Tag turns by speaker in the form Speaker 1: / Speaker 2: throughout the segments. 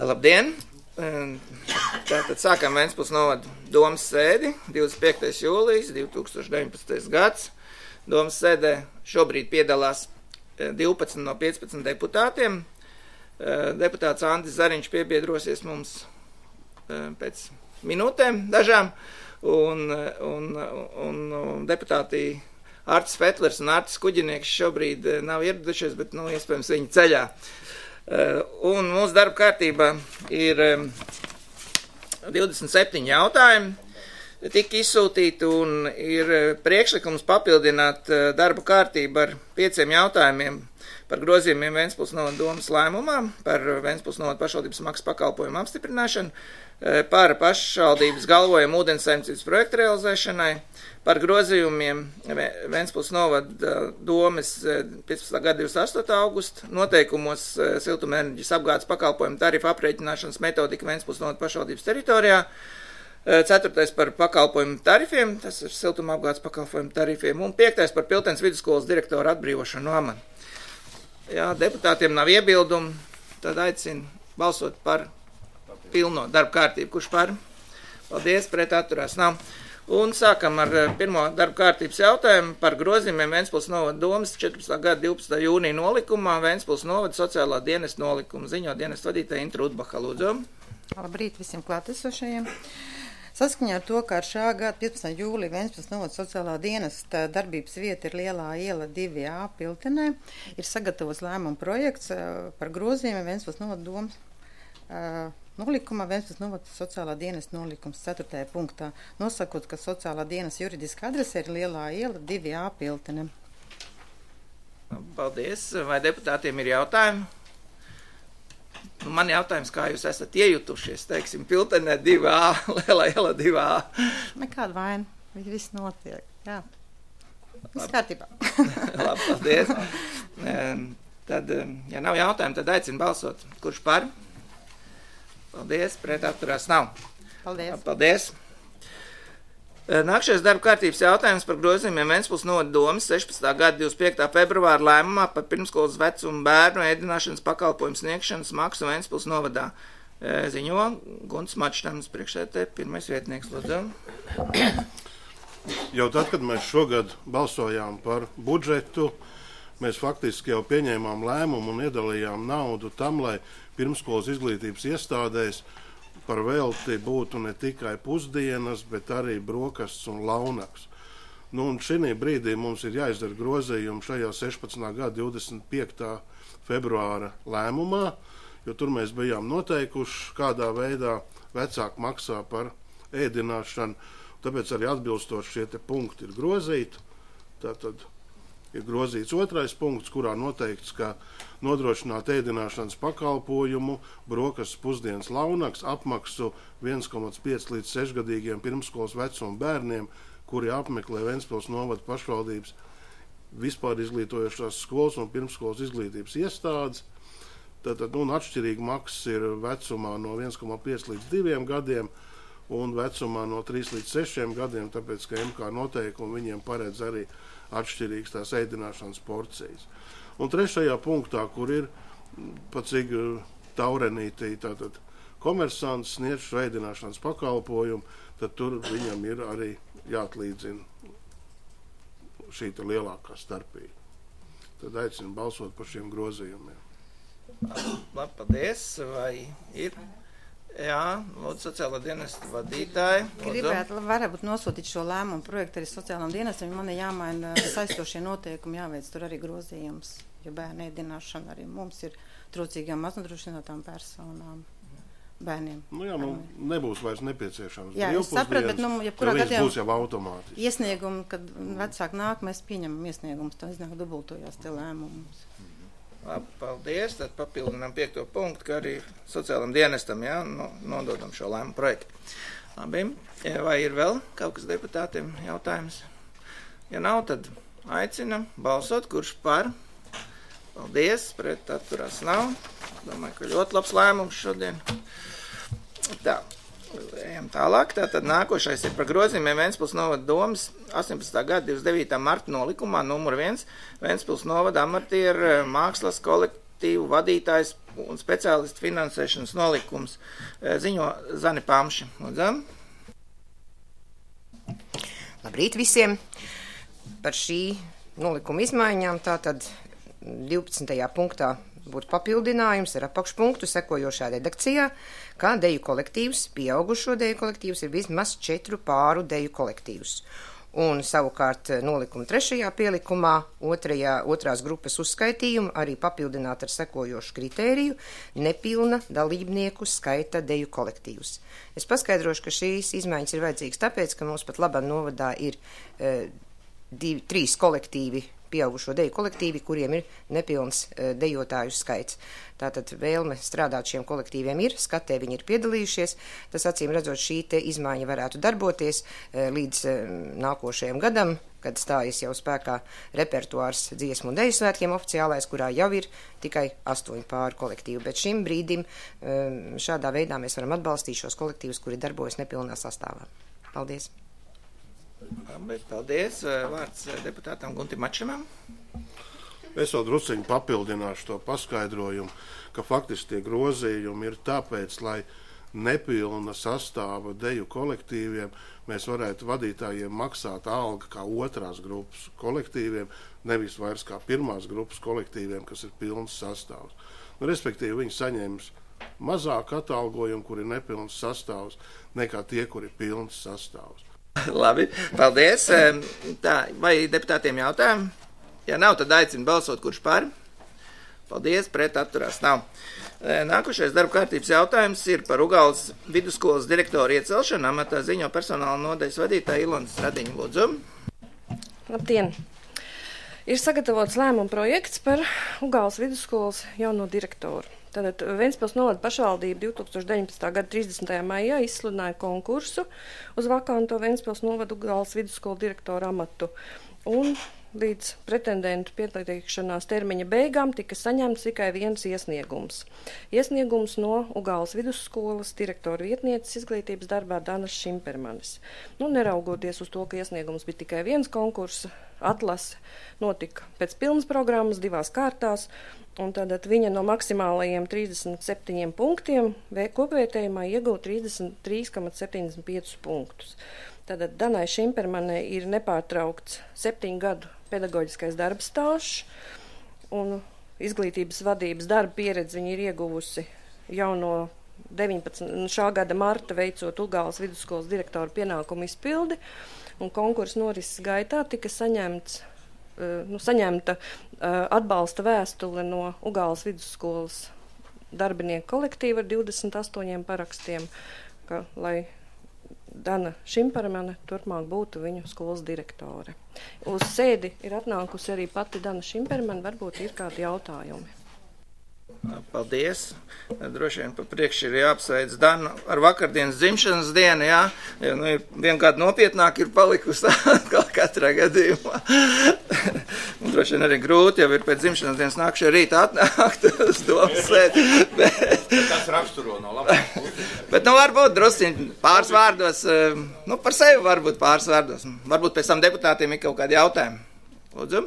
Speaker 1: Labdien! Tātad sākam Ventspils novada domas sēdi, 25. jūlijas 2019. gads. Domas sēdē šobrīd piedalās 12 no 15 deputātiem. Deputāts Andris Zariņš piebiedrosies mums pēc minūtēm dažām, un deputāti Artis Fetlers un Artis Kuģinieks šobrīd nav ieradušies, bet, iespējams, viņi ceļā. Un mūsu darba kārtībā ir 27 jautājumi, tika izsūtīti un ir priekšlikums papildināt darba kārtību ar 5 jautājumiem par grozījumiem Ventspils novada domas lēmumā, par Ventspils novada pašvaldības maksas pakalpojumu apstiprināšanu, par pašvaldības galvojumu ūdenssaimniecības projektu realizēšanai, par grozījumiem Ventspils novada domas 15. gada 28. augusta noteikumos siltumenerģijas apgādes pakalpojumu tarifu aprēķināšanas metodika Ventspils novada pašvaldības teritorijā. 4. par pakalpojumu tarifiem, tas ir siltuma apgādes pakalpojumu tarifiem, un 5. par Piltenes vidusskolas direktoru atbrīvošanu no amata. Ja deputātiem nav iebildumi, tad aicinu balsot par pilno darba kārtību. Kurš par? Paldies, pret atturās nav. Un sākam ar pirmo darba kārtības jautājumu par grozījumiem Ventspils novada domas 14. gada 12. jūnija nolikumā, Ventspils novada sociālā dienesta nolikuma. Ziņo dienesta vadītāja Intra Udbaha, lūdzu.
Speaker 2: Labrīt visiem klātesošajiem. Saskaņā ar to, ka ar šā gada 15. jūlija Ventspils novada sociālā dienesta darbības vieta ir Lielā iela 2A Piltenē, ir sagatavots lēmuma projekts par grozījumiem Ventspils novada domas nolikumā, Ventspils novada sociālā dienesta nolikums 4. punktā, nosakot, ka sociālā dienesta juridiska adrese ir Lielā iela 2A Piltenē.
Speaker 1: Paldies. Vai deputātiem ir jautājumi? Man jautājums, kā jūs esat iejutušies, teiksim, Piltenē 2A, Lielā iela 2A?
Speaker 2: Nekāda vaina, viss notiek, jā. Viss kārtībā.
Speaker 1: Labi, paldies. Tad, ja nav jautājumu, tad aicinu balsot. Kurš par? Paldies, pret atturās nav.
Speaker 2: Paldies.
Speaker 1: Paldies. Nākšais darba kārtības jautājums par grozījumiem Ventspils novada domas 16. gada 25. februāra lēmumā par pirmskolas vecumu bērnu ēdināšanas pakalpojumu sniegšanas maksu Ventspils novadā. Ziņo Gunts Mačtams, priekšsēdētāja, pirmais vietnieks, lūdzu.
Speaker 3: Jau tad, kad mēs šogad balsojām par budžetu, mēs faktiski jau pieņēmām lēmumu un iedalījām naudu tam, lai pirmskolas izglītības iestādēs par velti būtu ne tikai pusdienas, bet arī brokastis un launaks. Un šī brīdī mums ir jāizdara grozījumi šajā 16. gada 25. februāra lēmumā, jo tur mēs bijām noteikuši, kādā veidā vecāki maksā par ēdināšanu, tāpēc arī atbilstoši šie te punkti ir grozīti. Tātad ir grozīts 2. punkts, kurā noteikts, ka nodrošināt ēdināšanas pakalpojumu, brokastis, pusdienas, launaks apmaksu 1,5 līdz 6 gadīgiem pirmskolas vecuma bērniem, kuri apmeklē Ventspils novada pašvaldības vispār izglītojošās skolas un pirmskolas izglītības iestādes. Tātad, atšķirīgi maksas ir vecumā no 1,5 līdz 2 gadiem un vecumā no 3 līdz 6 gadiem, tāpēc, ka MK noteikumi viņiem paredz arī atšķirīgas tās ēdināšanas porcijas. Un 3. punktā, kur ir pat cik taurenītī, tātad komersants sniedz šo ēdināšanas pakalpojumu, tad tur viņam ir arī jāatlīdzina šī lielākā starpība. Tad aicinu balsot par šiem grozījumiem.
Speaker 1: Labi, paldies. Vai ir? Jā, lūdzu, sociālā dienesta vadītāja.
Speaker 2: Gribētu, varbūt nosūtīt šo lēmumu projektu arī sociālām dienestam, man ir jāmaina saistošie noteikumi, jāveic tur arī grozījums, jo bērnu ēdināšana arī mums ir trūcīgām maznodrošinātām personām, bērniem.
Speaker 3: Nebūs vairs nepieciešams.
Speaker 2: Jā, es sapratu, bet, jebkurā gadījumā
Speaker 3: būs jau automātiski.
Speaker 2: Iesniegumu, kad vecāki nāk, mēs pieņemam iesniegumus, tā iznāk dubultojās te lēmumus.
Speaker 1: Labi, paldies. Tad papildinām 5. punktu, ka arī sociālam dienestam nododam šo lēmumu projektu. Labi, vai ir vēl kaut kas deputātiem jautājums? Ja nav, tad aicinam balsot, kurš par. Paldies, pret atturās nav. Domāju, ka ļoti labs lēmums šodien. Tā, ejam tālāk. Tātad nākošais ir par grozījumiem Ventspils novada domas 18. gada 29. marta nolikumā numur 1. Ventspils novada amatieru mākslas kolektīvu vadītājs un speciālistu finansēšanas nolikums ziņo Zani Pamši. Lūdzam.
Speaker 4: Labrīt visiem! Par šī nolikuma izmaiņām tātad 12. punktā būtu papildinājums ar apakšpunktu sekojošā redakcijā, kā deju kolektīvs, pieaugušo deju kolektīvs ir vismaz 4 pāru deju kolektīvs. Un savukārt nolikuma 3. pielikumā otrās grupas uzskaitījumu arī papildināt ar sekojošu kritēriju nepilna dalībnieku skaita deju kolektīvs. Es paskaidrošu, ka šīs izmaiņas ir vajadzīgas tāpēc, ka mums pat labā novadā ir 3 kolektīvi, pieaugušo deju kolektīvi, kuriem ir nepilns dejotāju skaits. Tātad vēlme strādāt šiem kolektīviem ir, skatē viņi ir piedalījušies. Tas acīm redzot šī te izmaiņa varētu darboties līdz nākošajam gadam, kad stājas jau spēkā repertuārs dziesmu un deju svētkiem oficiālais, kurā jau ir tikai 8 pāru kolektīvi. Bet šim brīdim šādā veidā mēs varam atbalstīt šos kolektīvus, kuri darbojas nepilnā sastāvā. Paldies!
Speaker 1: Paldies. Vārds deputātam Guntim Mačamam.
Speaker 3: Es vēl drusciņu papildināšu to paskaidrojumu, ka faktiski tie grozījumi ir tāpēc, lai nepilna sastāva deju kolektīviem mēs varētu vadītājiem maksāt algu kā otrās grupas kolektīviem, nevis vairs kā pirmās grupas kolektīviem, kas ir pilns sastāvs. Respektīvi, viņi saņems mazāk atalgojumu, kur ir nepilns sastāvs, nekā tie, kur ir pilns sastāvs.
Speaker 1: Labi, paldies. Tā, vai deputātiem jautājumi? Ja nav, tad aicinu balsot, kurš par. Paldies, pret atturās nav. Nākošais darba kārtības jautājums ir par Ugāles vidusskolas direktoru iecelšanu. Amatā ziņo personāla nodaļas vadītāja Ilona Stradiņa. Lūdzu.
Speaker 5: Labdien! Ir sagatavots lēmuma projekts par Ugāles vidusskolas jauno direktoru. Tātad Ventspils novada pašvaldība 2019. gada 30. maijā izsludināja konkursu uz vakanto Ventspils novada Ugāles vidusskolu direktoru amatu. Un līdz pretendentu pieteikšanās termiņa beigām tika saņemts tikai viens iesniegums. Iesniegums no Ugāles vidusskolas direktora vietnieces izglītības darbā Danas Šimpermanes. Neraugoties uz to, ka iesniegums bija tikai viens konkursa, atlase notika pēc pilnas programmas 2 kārtās, un tātad viņa no maksimālajiem 37 punktiem kopvērtējumā iegūta 33,75 punktus. Tātad Danai Šimpermanei ir nepārtraukts 7 gadu pedagoģiskais darba stāžs, un izglītības vadības darba pieredzi viņa ir ieguvusi jau no 19. šā gada marta veicot Ugāles vidusskolas direktoru pienākumu izpildi, un konkursa norises gaitā tika saņemta atbalsta vēstule no Ugāles vidusskolas darbinieku kolektīva ar 28 parakstiem, lai Dana Šimpermane turpmāk būtu viņu skolas direktore. Uz sēdi ir atnākusi arī pati Dana Šimpermane, varbūt ir kādi jautājumi.
Speaker 1: Paldies. Droši vien pa priekšu ir jāapsveic Danu ar vakardienas dzimšanas dienu, jā. Jo, vien kāda nopietnāk ir palikusi katrā gadījumā. Un droši vien arī grūti jau ir pēc dzimšanas dienas nākšie rīta atnākt uz domu sēdi.
Speaker 6: Tas raksturo no labāk.
Speaker 1: Bet, varbūt drusciņi pāris vārdos, par sevi varbūt pāris vārdos. Varbūt pēc tam deputātiem ir kaut kādi jautājumi. Lūdzu.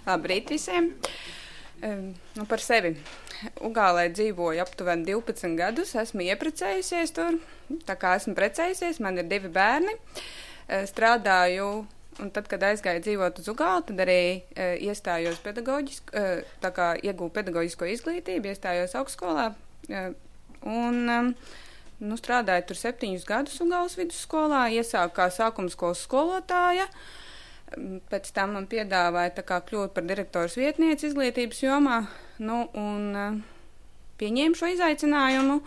Speaker 7: Labrīt visiem. Par sevi. Ugālē dzīvoju aptuveni 12 gadus, esmu ieprecējusies tur, tā kā esmu precējusies, man ir 2 bērni, strādāju, un tad, kad aizgāju dzīvot uz Ugāli, tad arī iestājos tā kā iegūju pedagoģisko izglītību, iestājos augstskolā, un strādāju tur 7 gadus Ugāles vidusskolā, iesāku kā sākumskolas skolotāja. Pēc tam man piedāvāja tā kā kļūt par direktoras vietnieci izglītības jomā, un pieņēmu šo izaicinājumu.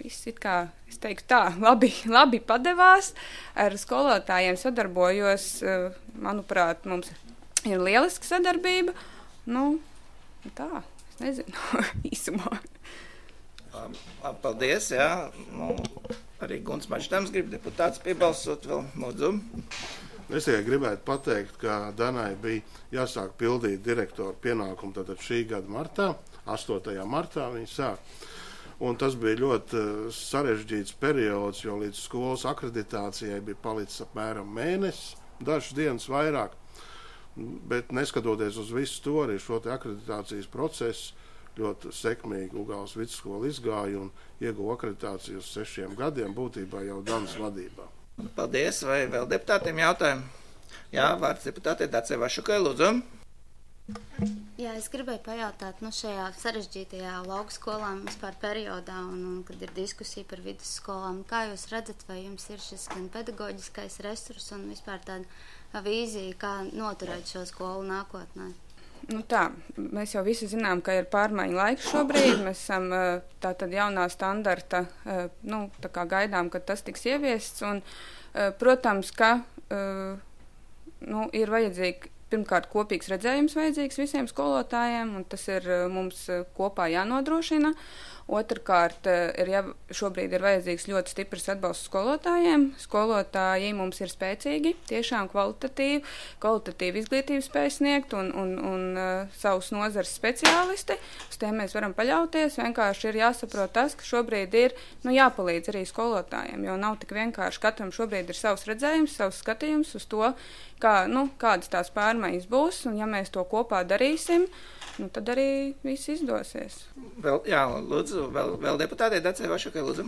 Speaker 7: Viss it kā, es teiktu tā, labi padevās, ar skolotājiem sadarbojos, manuprāt, mums ir lieliska sadarbība, tā, es nezinu, īsumā.
Speaker 1: Paldies, jā. Arī Gunts Mačtams grib deputāts piebalsot vēl, lūdzu.
Speaker 3: Es tikai gribētu pateikt, ka Danai bija jāsāk pildīt direktoru pienākumu tātad šī gada martā, 8. martā viņa sāk. Un tas bija ļoti sarežģīts periods, jo līdz skolas akreditācijai bija palicis apmēram mēnesis, dažas dienas vairāk. Bet neskatoties uz visu to, arī šo te akreditācijas procesu ļoti sekmīgi Ugāles vidusskola izgāja un ieguva akreditāciju uz 6 gadiem, būtībā jau Danas vadībā.
Speaker 1: Paldies, vai vēl deputātiem jautājumi? Jā, vārds deputātei Dacei Vašukai, lūdzu.
Speaker 8: Jā, es gribēju pajautāt, šajā sarežģītajā laukskolām vispār periodā un kad ir diskusija par vidusskolām, kā jūs redzat, vai jums ir šis gan pedagoģiskais resurs un vispār tāda vīzija, kā noturēt šo skolu nākotnē?
Speaker 7: Mēs jau visi zinām, ka ir pārmaiņu laiks šobrīd. Mēs esam tātad jaunā standarta, tā kā gaidām, kad tas tiks ieviests. Un, protams, ka ir vajadzīgi, pirmkārt, kopīgs redzējums vajadzīgs visiem skolotājiem, un tas ir mums kopā jānodrošina. Otrkārt, šobrīd ir vajadzīgs ļoti stiprs atbalsts skolotājiem. Skolotāji mums ir spēcīgi, tiešām kvalitatīvi izglītību spēj sniegt un savus nozares speciālisti. Uz tiem mēs varam paļauties. Vienkārši ir jāsaprot tas, ka šobrīd ir jāpalīdz arī skolotājiem, jo nav tik vienkārši. Katram šobrīd ir savs redzējums, savs skatījums uz to, kādas tās pārmaiņas būs, un ja mēs to kopā darīsim, tad arī viss izdosies.
Speaker 1: Lūdzu, vēl deputātei Dacei Vašukai, lūdzu.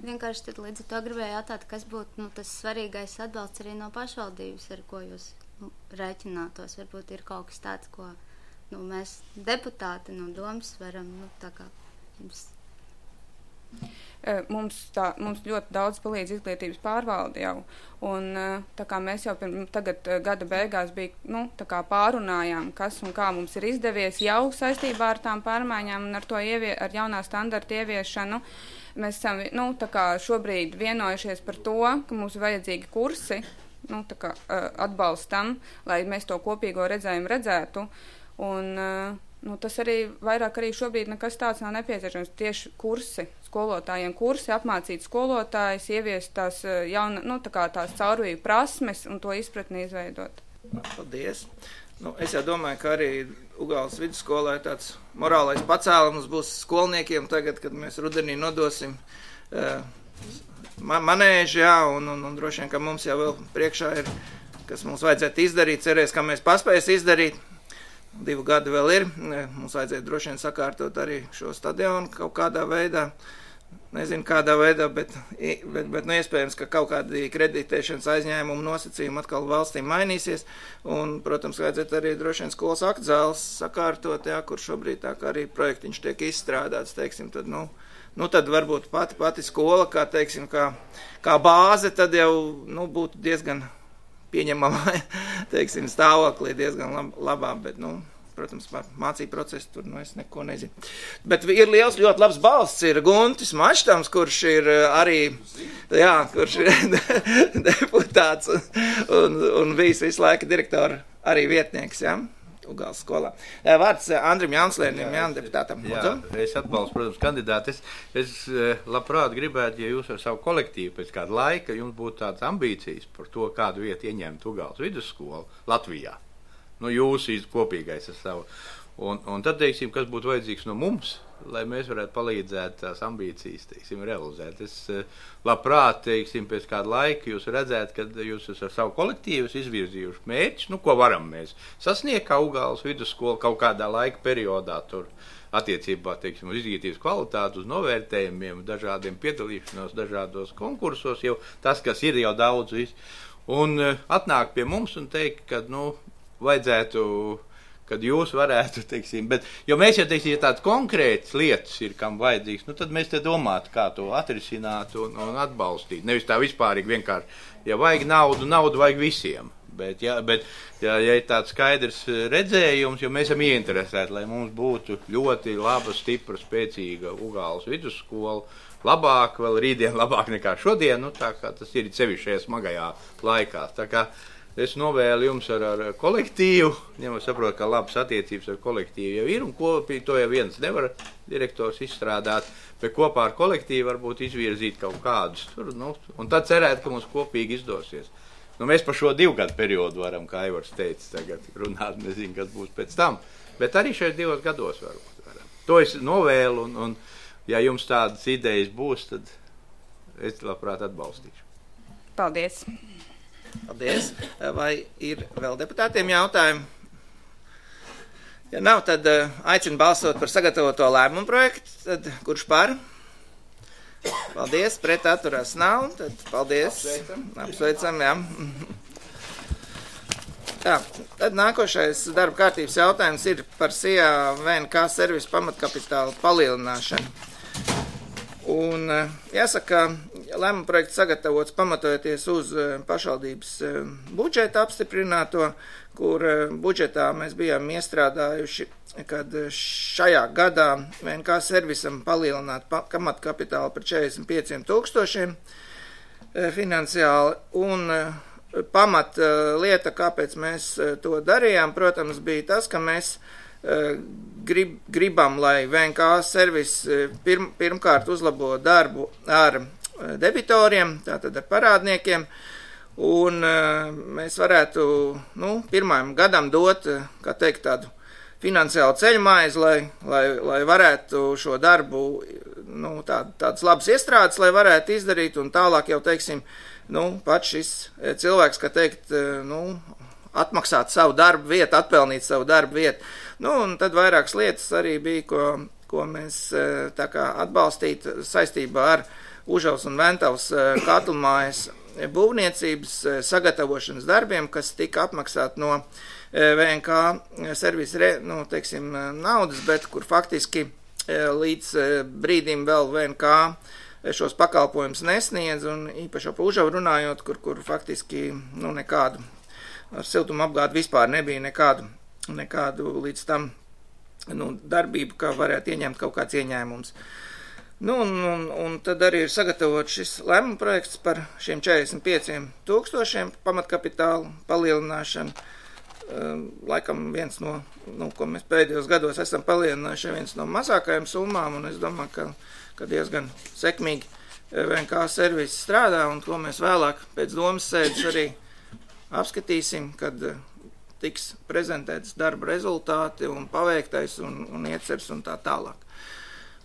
Speaker 8: Vienkārši tad līdz ar to gribēju jautāt, kas būtu tas svarīgais atbalsts arī no pašvaldības, ar ko jūs rēķinātos. Varbūt ir kaut kas tāds, ko mēs deputāti no domas varam, tā kā jums.
Speaker 7: Mums ļoti daudz palīdz izglītības pārvalde jau, un tā kā mēs jau tagad gada beigās tā kā pārunājām, kas un kā mums ir izdevies jau saistībā ar tām pārmaiņām un ar jaunā standarta ieviešanu. Mēs esam tā kā šobrīd vienojušies par to, ka mums ir vajadzīgi kursi atbalstam, lai mēs to kopīgo redzējumu redzētu, un tas arī vairāk arī šobrīd nekas tāds nav nepieciešams. Tieši skolotājiem kursi, apmācīt skolotājus, ieviest tās tās caurvīju prasmes un to izpratni izveidot.
Speaker 1: Paldies. Es jau domāju, ka arī Ugāles vidusskolā tāds morālais pacēlums būs skolniekiem tagad, kad mēs rudenī nodosim manēži, un droši vien, ka mums jau vēl priekšā ir, kas mums vajadzētu izdarīt, cerēs, ka mēs paspēs izdarīt. 2 gadi vēl ir. Mums vajadzēja droši vien sakārtot arī šo stadionu kaut kādā veidā. Nezinu, kādā veidā, bet iespējams, ka kaut kādi kreditēšanas aizņēmumu nosacījumi atkal valstīm mainīsies. Un, protams, vajadzētu arī droši vien skolas aktzāles sakārtot, kur šobrīd tā kā arī projektiņš tiek izstrādāts, teiksim, tad, tad varbūt pati skola, kā, teiksim, kā bāze, tad jau, būtu diezgan pieņemamā, teiksim, stāvoklī diezgan labā, bet, protams, par mācību procesu tur, es neko nezinu. Bet ir liels, ļoti labs balsts, ir Guntis Maštams, kurš ir arī, kurš ir deputāts un bijis visu laiku direktora arī vietnieks, Ugāles skolā. Vārds Andrim Jaunslēnim, deputātam.
Speaker 6: Es atbalstu, protams, kandidāti. Es labprāt gribētu, ja jūs ar savu kolektīvu pēc kāda laika jums būtu tādas ambīcijas par to, kādu vietu ieņemt Ugāles vidusskolu Latvijā. Jūsu kopīgais ar savu. Un tad, teiksim, kas būtu vajadzīgs no mums, lai mēs varētu palīdzēt tās ambīcijas, teiksim, realizēt. Es labprāt, teiksim, pēc kāda laika jūs redzētu, kad jūs ar savu kolektīvu izvirzījuši mērķus, ko varam mēs sasniegt kā Ugāles vidusskola kaut kādā laika periodā tur attiecībā, teiksim, uz izglītības kvalitāti, uz novērtējumiem, dažādiem piedalīšanos, dažādos konkursos, jau tas, kas ir jau daudz viss. Un atnāk pie mums un teikt, ka, vajadzētu, kad jūs varētu, teiksim, jo mēs jau, teiksim, ja tādas konkrētas lietas ir, kam vajadzīgs, tad mēs te domātu, kā to atrisināt un atbalstīt. Nevis tā vispārīgi vienkārši, ja vajag naudu vajag visiem. Bet ja ir tāds skaidrs redzējums, jo mēs esam ieinteresēti, lai mums būtu ļoti laba, stipra, spēcīga Ugāles vidusskola, labāk, vēl rītdien labāk nekā šodien, tā kā tas ir sevišķi šajā smagajā laikā. Tā kā es novēlu jums ar kolektīvu, ņemot saprot, ka labas attiecības ar kolektīvu jau ir, un kopīgi to jau viens nevar direktors izstrādāt, bet kopā ar kolektīvu varbūt izvirzīt kaut kādus tur, un tad cerēt, ka mums kopīgi izdosies. Mēs par šo 2 gadu periodu varam, kā Aivars teica, tagad runāt, nezinu, kas būs pēc tam, bet arī šeit 2 gados varbūt varam. To es novēlu, un ja jums tādas idejas būs, tad es labprāt atbalstīšu.
Speaker 7: Paldies!
Speaker 1: Paldies. Vai ir vēl deputātiem jautājumi? Ja nav, tad aicinu balsot par sagatavoto lēmumu projektu. Tad kurš par? Paldies. Pret atturās nav. Tad paldies. Apsveicam, jā. Tā, tad nākošais darba kārtības jautājums ir par SIA VNK servisu pamatkapitāla palielināšanu. Un jāsaka, lēmuma projekts sagatavots pamatojoties uz pašvaldības budžeta apstiprināto, kur budžetā mēs bijām iestrādājuši, kad šajā gadā VNK servisam palielināt pamatkapitālu par 45 000 finansiāli un pamat lieta, kāpēc mēs to darījām, protams, bija tas, ka mēs gribam, lai VNK servis pirmkārt uzlabo darbu ar debitoriem, tātad ar parādniekiem, un mēs varētu, pirmajam gadam dot, kā teikt, tādu finansiālu ceļmaizi, lai varētu šo darbu, tādas labas iestrādes, lai varētu izdarīt, un tālāk jau, teiksim, pats šis cilvēks, kā teikt, atmaksāt savu darbu vietu, atpelnīt savu darbu vietu. Un tad vairākas lietas arī bija, ko mēs tā kā atbalstīt saistībā ar Užavas un Ventavas katlmājas būvniecības sagatavošanas darbiem, kas tika apmaksāt no VNK servisa, naudas, bet kur faktiski līdz brīdim vēl VNK šos pakalpojumus nesniedz, un īpaši par Užavu runājot, kur faktiski, nekādu ar siltumu apgādu vispār nebija nekādu līdz tam, darbību, kā varētu ieņemt kaut kāds ieņēmums. Un tad arī ir sagatavot šis lēmuma projekts par šiem 45 000 pamatkapitālu palielināšanu. Laikam viens no, ko mēs pēdējos gados esam palielinājuši, viens no mazākajām summām, un es domāju, ka diezgan sekmīgi VNK servis strādā, un ko mēs vēlāk pēc domas sēdes arī apskatīsim, kad tiks prezentēts darba rezultāti un paveiktais un iecers un tā tālāk.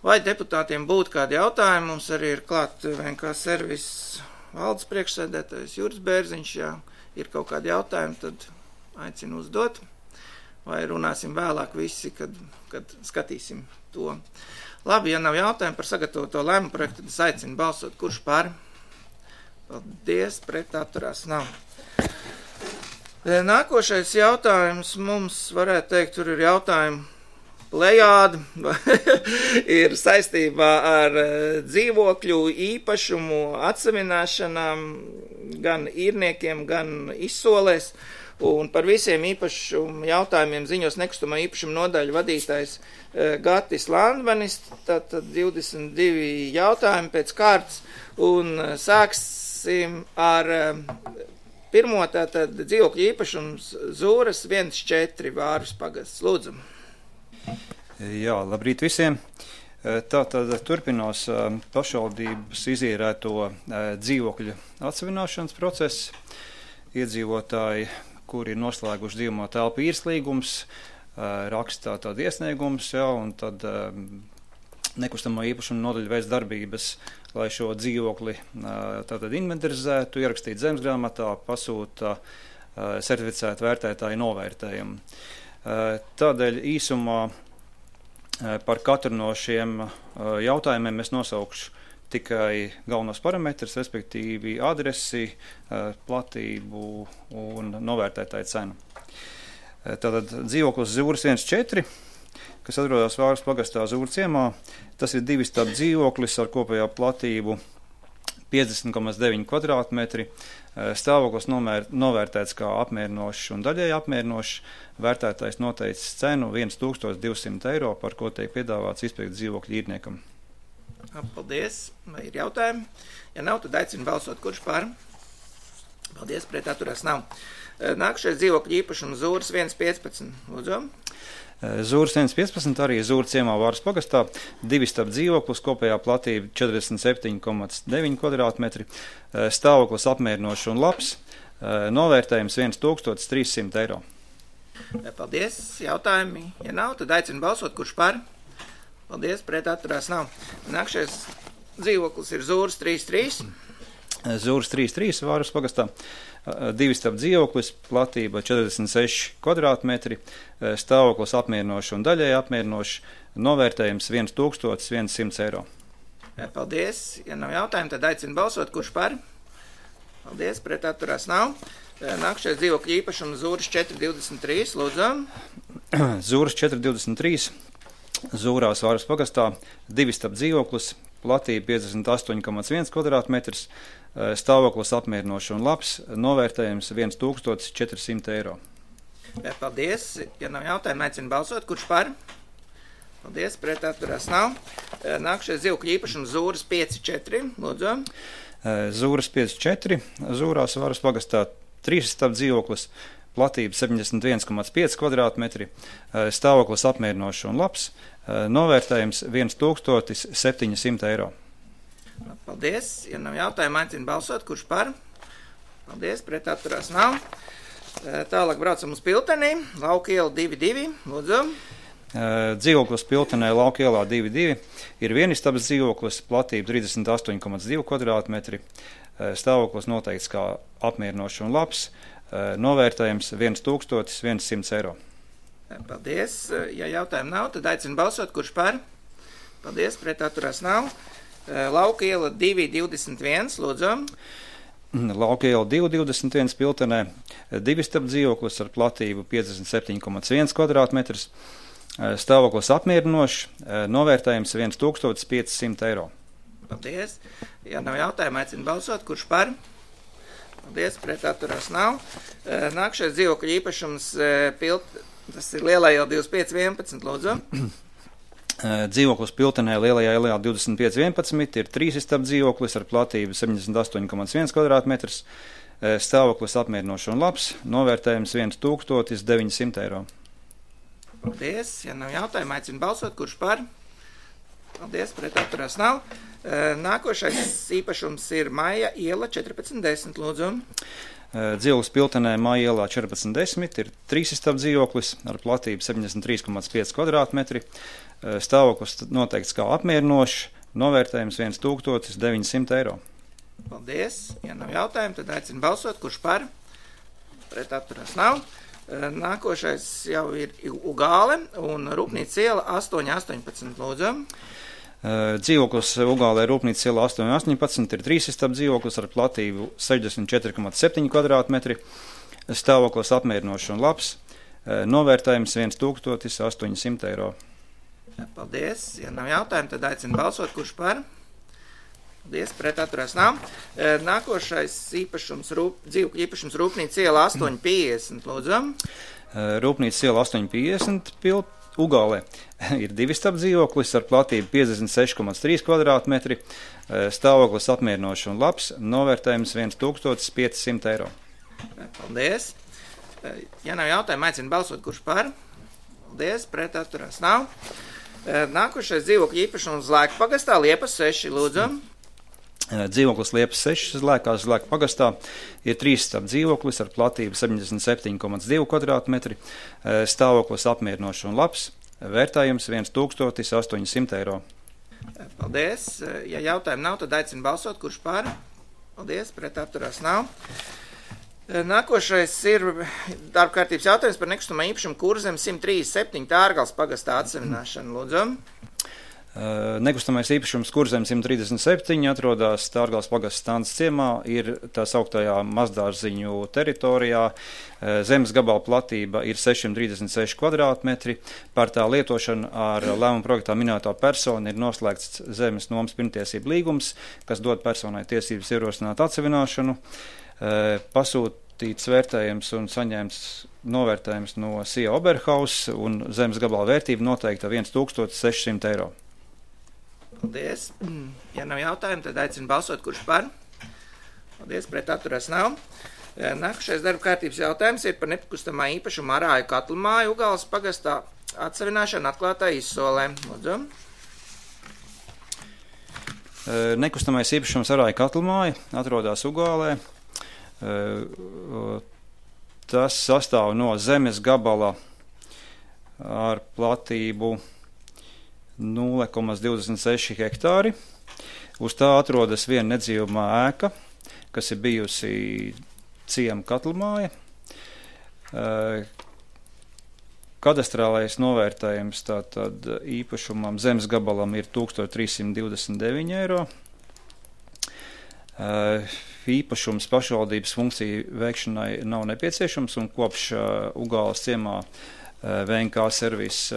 Speaker 1: Vai deputātiem būtu kādi jautājumi? Mums arī ir klāt VNK servis valdes priekšsēdētājs Juris Bērziņš, ja ir kaut kādi jautājumi, tad aicinu uzdot, vai runāsim vēlāk visi, kad skatīsim to. Labi, ja nav jautājumu par sagatavoto lēmumu projektu, tad es aicinu balsot, kurš par. Paldies, pret atturās nav. Nākošais jautājums mums, varētu teikt, tur ir jautājumi plejādi, ir saistībā ar dzīvokļu īpašumu atsevināšanām gan īrniekiem, gan izsolēs. Un par visiem īpašumu jautājumiem ziņos nekustamā īpašuma nodaļu vadītājs Gatis Landvanis, tātad 22 jautājumi pēc kārtas, un sāksim ar pirmo, tātad dzīvokļu īpašums Zūras 1-4 Vārvis pagasts. Lūdzu.
Speaker 9: Jā, labrīt visiem. Tātad turpinās pašvaldības izīrēto dzīvokļu atsevināšanas procesu. Iedzīvotāji, kuri ir noslēguši dzīvojamo telpu īres līgums, rakstā tādu iesniegumus, un tad nekustamo īpašumu nodaļa veids darbības, lai šo dzīvokli tātad inventarizētu, ierakstītu zemesgrāmatā, pasūta certificētu vērtētāju novērtējumu. Tādēļ īsumā par katru no šiem jautājumiem es nosaukšu tikai galvenos parametrus, respektīvi adresi, platību un novērtētāju cenu. Tātad dzīvoklis Zūras 1-4, kas atrodas Vārvis pagastā Zūras ciemā, tas ir divistabu dzīvoklis ar kopējā platību 50,9 kvadrātmetri. Stāvoklis novērtēts kā apmierinošs un daļēji apmierinošs. Vērtētājs noteicis cenu 1200 eiro, par ko tiek piedāvāts izpirkt dzīvokļu īrniekam.
Speaker 1: Paldies. Vai ir jautājumi? Ja nav, tad aicinu balsot, kurš par. Paldies, pret atturās nav. Nākušais dzīvokļu īpašums Zūras 1-15. Lūdzu.
Speaker 9: Zūras 1-15 arī Zūras ciemā Vārvis pagastā. Divistabu dzīvoklis, kopējā platība 47,9 kvadrātmetri. Stāvoklis apmierinošs un labs. Novērtējums 1300 eiro.
Speaker 1: Paldies. Jautājumi? Ja nav, tad aicinu balsot, kurš par. Paldies, pret atturās nav. Nākšais dzīvoklis ir Zūras 3-3.
Speaker 9: Zūras 3.3 Vārus pagastā, 2 stāv dzīvoklis, platība 46 kvadrātmetri, stāvoklis apmierinoši un daļēji apmierinoši, novērtējums 1100 eiro.
Speaker 1: Paldies. Ja nav jautājumu, tad aicinu balsot, kurš par. Paldies, pret atturās nav. Nākšais dzīvokļu īpašums Zūras 423, lūdzu.
Speaker 9: Zūras 423, Zūrās Vārus pagastā, 2 stāv dzīvoklis, platība 58,1 kvadrātmetrs, stāvoklis apmierinoši un labs, novērtējums 1400 eiro.
Speaker 1: Paldies. Ja nav jautājumu, aicinu balsot, kurš par. Paldies, pret atturās nav. Nākšais dzīvokļu īpašums Zūras 5.4, lūdzu.
Speaker 9: Zūras 5.4, Zūrās Vārus pagastā, 3 stāv dzīvoklis, platība 71,5 kvadrātmetri, stāvoklis apmierinoši un labs, novērtējums 1700 eiro.
Speaker 1: Paldies. Ja nav jautājumu, aicinu balsot, kurš par. Paldies, pret atturās nav. Tālāk braucam uz Piltenī, Lauka iela 2.2, lūdzu.
Speaker 9: Dzīvoklis Piltenē, Lauka ielā 2.2, ir vienistabas dzīvoklis, platība 38,2 kvadrātmetri, stāvoklis noteikts kā apmierinoši un labs, novērtējums 1100 eiro.
Speaker 1: Paldies. Ja jautājumu nav, tad aicinu balsot, kurš par. Paldies, pret atturās nav. Lauka iela 2.21, lūdzu.
Speaker 9: Lauka iela 2.21 Piltenē, 2 stāv dzīvoklis ar platību 57,1 kvadrātmetrs, stāvoklis apmierinošs, novērtējums 1500 eiro.
Speaker 1: Paldies. Ja nav jautājumu, aicinu balsot, kurš par. Paldies, pret atturās nav. Nākšais dzīvokļu īpašums tas ir Lielā iela 2511, lūdzu.
Speaker 9: Dzīvoklis Piltenē, Lielajā ielā 2511, ir 3 stāv dzīvoklis ar platību 78,1 kvadrātmetrs, stāvoklis apmierinošs un labs, novērtējums 1900 eiro.
Speaker 1: Paldies. Ja nav jautājumu, aicinu balsot, kurš par. Paldies, pret atturās nav. Nākošais īpašums ir Maija iela 1410, lūdzu.
Speaker 9: Dzīvoklis Piltenē, Maija ielā 1410, ir 3 stāv dzīvoklis ar platību 73,5 kvadrātmetri, stāvoklis noteikts kā apmierinošs, novērtējums 1900 eiro.
Speaker 1: Paldies. Ja nav jautājumu, tad aicinu balsot, kurš par. Pret atturās nav. Nākošais jau ir Ugāle un Rūpnīca iela 818, lūdzu.
Speaker 9: Dzīvoklis Ugālē Rūpnīca iela 818, ir 3 stāv dzīvoklis ar platību 64,7 kvadrātmetri, stāvoklis apmierinošs un labs, novērtējums 1800 eiro.
Speaker 1: Paldies. Ja nav jautājumu, tad aicinu balsot, kurš par. Paldies, pret atturās nav. Nākošais īpašums, dzīvokļu īpašums Rūpnīca iela 850, lūdzu.
Speaker 9: Rūpnīca iela 850 Ugālē ir 2 stāv dzīvoklis ar platību 56,3 kvadrātmetri, stāvoklis apmierinošs un labs, novērtējums 1500 eiro.
Speaker 1: Paldies. Ja nav jautājumu, aicinu balsot, kurš par. Paldies, pret atturās nav. Nākošais dzīvokļu īpašums Zlēku pagastā, Liepas 6, lūdzu.
Speaker 9: Dzīvoklis Liepas 6 Zlēkās Zlēku pagastā ir 3 stāv dzīvoklis ar platību 77,2 kvadrātmetri, stāvoklis apmierinošs un labs, vērtējums 1800 eiro.
Speaker 1: Paldies. Ja jautājumu nav, tad aicinu balsot, kurš par. Paldies, pret atturās nav. Nākošais ir darba kārtības jautājums par nekustamā īpašumu Kurzem 137 Tārgals pagastā atsevināšanu, lūdzu.
Speaker 9: Nekustamais īpašums Kurzem 137 atrodas Tārgals pagasta Stānas ciemā, ir tā sauktajā mazdārziņu teritorijā. Zemes gabala platība ir 636 kvadrātmetri. Par tā lietošanu ar lēmumu projektā minētā persona ir noslēgts zemes nomas pirmtiesību līgums, kas dod personai tiesības ierosināt atsevināšanu. Pasūtīts vērtējums un saņemts novērtējums no SIA Oberhaus un zemes gabala vērtība noteikta 1600 eiro.
Speaker 1: Paldies. Ja nav jautājumu, tad aicinu balsot, kurš par. Paldies, pret atturās nav. Nākošais darba kārtības jautājums ir par nekustamā īpašuma Arāju katlamāju Ugāles pagastā atsevināšanu atklātā izsolē. Lūdzu.
Speaker 9: Nekustamais īpašums Arāju katlamāja atrodas Ugālē. Tas sastāv no zemes gabala ar platību 0,26 hektāri. Uz tā atrodas viena nedzīvamā ēka, kas ir bijusi ciema katlamāja. Kadastrālais novērtējums tātad īpašumam zemes gabalam ir 1329 eiro. Īpašums pašvaldības funkciju veikšanai nav nepieciešams, un kopš Ugāles ciemā VNK servis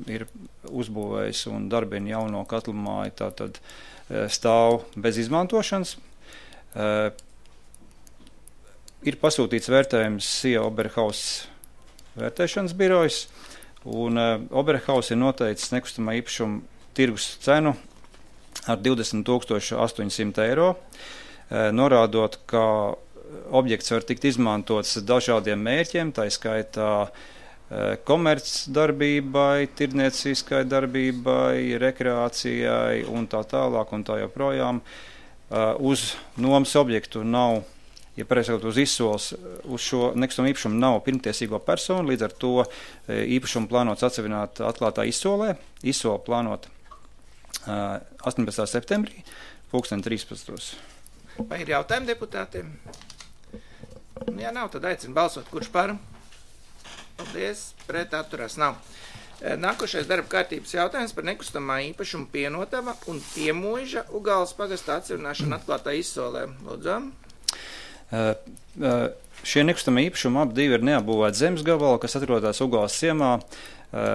Speaker 9: ir uzbūvējis un darbina jauno katlamāju, tātad stāv bez izmantošanas. Ir pasūtīts vērtējums SIA Oberhaus vērtēšanas birojas, un Oberhaus ir noteicis nekustamā īpašuma tirgus cenu ar 20,800 eiro, norādot, ka objekts var tikt izmantots dažādiem mērķiem, tā skaitā komercdarbībai, tirdznieciskai darbībai, rekreācijai un tā tālāk un tā joprojām. Uz nomas objektu nav, ja pareizi sakot, uz izsoles, uz šo nekustamo īpašumu nav pirmtiesīgo personu, līdz ar to īpašumu plānots atsevināt atklātā izsolē. Izsole plānota 18. septembrī, 2013.
Speaker 1: Vai ir jautājumi deputātiem? Ja nav, tad aicinu balsot, kurš par? Paldies, pret atturās nav. Nākošais darba kārtības jautājums par nekustamā īpašuma pienotava un piemuiža Ugāles pagasta atsevināšanu atklātā izsolē. Lūdzu.
Speaker 9: Šie nekustamie īpašumi ap divi ir neapbūvēti zemes gabali, kas atrodas Ugāles ciemā,